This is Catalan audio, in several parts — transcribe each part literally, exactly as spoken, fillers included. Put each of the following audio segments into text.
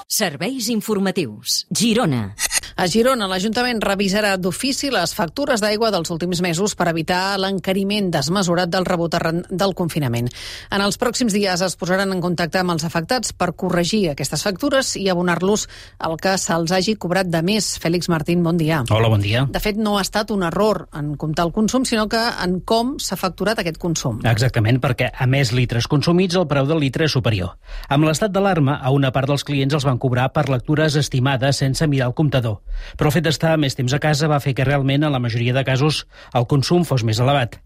Serveis informatius. Girona. A Girona, l'Ajuntament revisarà d'ofici les factures d'aigua dels últims mesos per evitar l'encariment desmesurat del rebut arran del confinament. En els pròxims dies es posaran en contacte amb els afectats per corregir aquestes factures i abonar-los el que se'ls hagi cobrat de més. Fèlix Martín, bon dia. Hola, bon dia. De fet, no ha estat un error en comptar el consum, sinó que en com s'ha facturat aquest consum. Exactament, perquè a més litres consumits, el preu del litre és superior. Amb l'estat d'alarma, a una part dels clients els van cobrar per lectures estimades sense mirar el comptador. Però el fet d'estar més temps a casa va fer que realment, en la majoria de casos, el consum fos més elevat.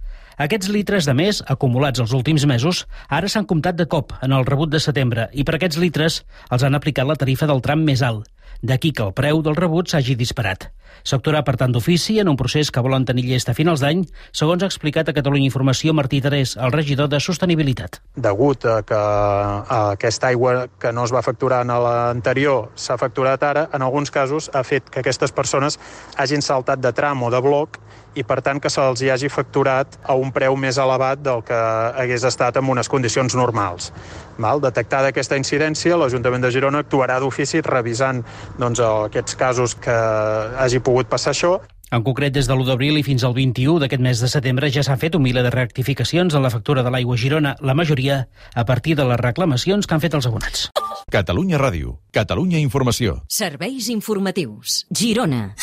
Aquests litres de més, acumulats els últims mesos, ara s'han comptat de cop en el rebut de setembre i per aquests litres els han aplicat la tarifa del tram més alt. D'aquí que el preu del rebut s'hagi disparat. S'actuarà, per tant, d'ofici en un procés que volen tenir llest a finals d'any, segons ha explicat a Catalunya Informació Martí Terés, el regidor de Sostenibilitat. Degut a que a aquesta aigua que no es va facturar en l'anterior s'ha facturat ara, en alguns casos ha fet que aquestes persones hagin saltat de tram o de bloc i, per tant, que se'ls hi hagi facturat a un preu més elevat del que hagués estat en unes condicions normals. Val? Detectada aquesta incidència, l'Ajuntament de Girona actuarà d'ofici revisant doncs, aquests casos que hagi pogut passar això. En concret, des de l'u d'abril i fins al vint-i-u d'aquest mes de setembre ja s'han fet un miler de rectificacions en la factura de l'aigua a Girona, la majoria a partir de les reclamacions que han fet els abonats. Catalunya Ràdio, Catalunya Informació. Serveis informatius. Girona.